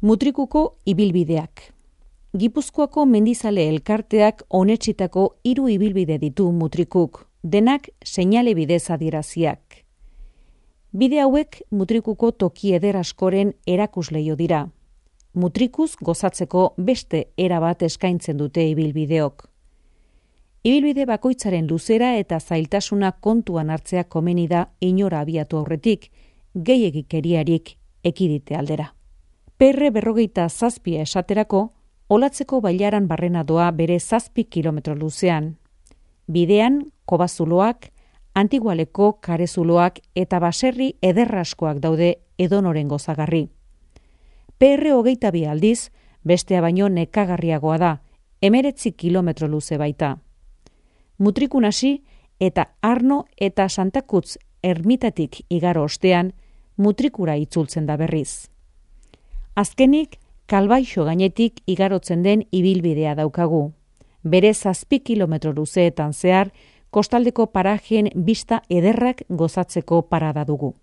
Mutrikuko ibilbideak. Gipuzkoako mendizale elkarteak onetsitako 3 ibilbide ditu Mutrikuk, denak seinale bidez adieraziak. Bide hauek Mutrikuko toki eder askoren erakusleio dira. Mutrikuz gozatzeko beste era bat eskaintzen dute ibilbideok. Ibilbide bakoitzaren luzera eta zailtasuna kontuan hartzea komeni da inora abiatu aurretik, gehiegikeriarik ekidite aldera. PR47 esaterako, Olatzeko bailaran barrena doa bere 7 kilometro luzean. Bidean, kobazuloak, Antigualeko karezuloak eta baserri ederraskoak daude edonoren gozagarri. PR22 aldiz, bestea baino nekagarriagoa da, 19 kilometro luze baita. Mutrikun hasi eta Arno eta Santakutz ermitatik igaro ostean, Mutrikura itzultzen da berriz. Azkenik, Kalbaixo gainetik igarotzen den ibilbidea daukagu. Bere 7 kilometro luzeetan zehar, kostaldeko parajeen bista ederrak gozatzeko parada dugu.